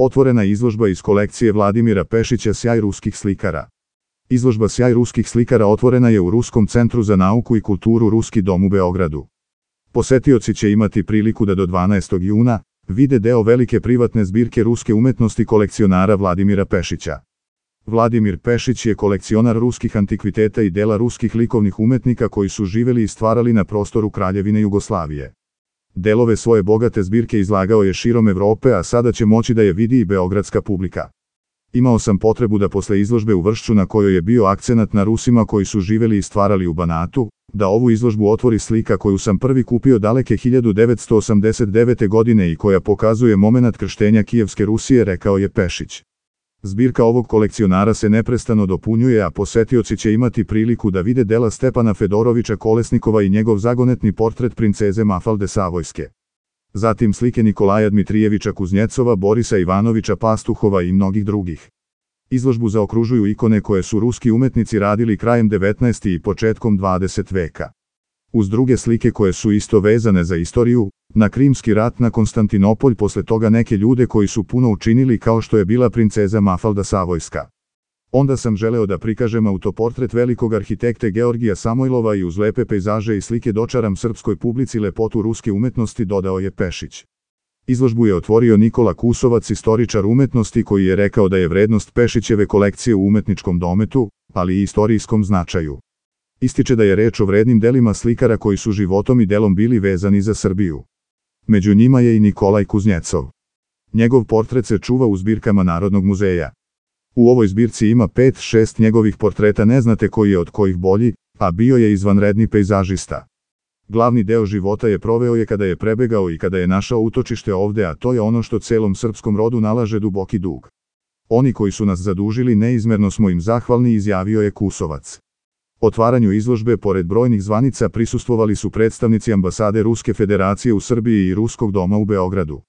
Otvorena je izložba iz kolekcije Vladimira Pešića Sjaj ruskih slikara. Izložba Sjaj ruskih slikara otvorena je u Ruskom centru za nauku i kulturu Ruski dom u Beogradu. Posetioci će imati priliku da do 12. juna vide deo velike privatne zbirke ruske umetnosti kolekcionara Vladimira Pešića. Vladimir Pešić je kolekcionar ruskih antikviteta i dela ruskih likovnih umetnika koji su živeli i stvarali na prostoru Kraljevine Jugoslavije. Delove svoje bogate zbirke izlagao je širom Evrope, a sada će moći da je vidi i beogradska publika. Imao sam potrebu da posle izložbe u Vršću, na kojoj je bio akcenat na Rusima koji su živeli i stvarali u Banatu, da ovu izložbu otvori slika koju sam prvi kupio daleke 1989. godine i koja pokazuje momenat krštenja Kijevske Rusije, rekao je Pešić. Zbirka ovog kolekcionara se neprestano dopunjuje, a posetioci će imati priliku da vide dela Stepana Fedorovića Kolesnikova i njegov zagonetni portret princeze Mafalde Savojske. Zatim slike Nikolaja Dmitrijevića Kuznjecova, Borisa Ivanovića Pastuhova i mnogih drugih. Izložbu zaokružuju ikone koje su ruski umetnici radili krajem 19. i početkom 20. veka. Uz druge slike koje su isto vezane za istoriju, na Krimski rat, na Konstantinopolj, posle toga neke ljude koji su puno učinili kao što je bila princeza Mafalda Savojska. Onda sam želeo da prikažem autoportret velikog arhitekte Georgija Samojlova i uz lepe pejzaže i slike dočaram srpskoj publici lepotu ruske umetnosti, dodao je Pešić. Izložbu je otvorio Nikola Kusovac, istoričar umetnosti, koji je rekao da je vrednost Pešićeve kolekcije u umetničkom dometu, ali i istorijskom značaju. Ističe da je reč o vrednim delima slikara koji su životom i delom bili vezani za Srbiju. Među njima je i Nikolaj Kuznjecov. Njegov portret se čuva u zbirkama Narodnog muzeja. U ovoj zbirci ima 5-6 njegovih portreta, ne znate koji je od kojih bolji, a bio je izvanredni pejzažista. Glavni deo života je proveo je kada je prebegao i kada je našao utočište ovde, a to je ono što celom srpskom rodu nalaže duboki dug. Oni koji su nas zadužili, neizmerno smo im zahvalni, izjavio je Kusovac. Otvaranju izložbe pored brojnih zvanica prisustvovali su predstavnici ambasade Ruske Federacije u Srbiji i Ruskog doma u Beogradu.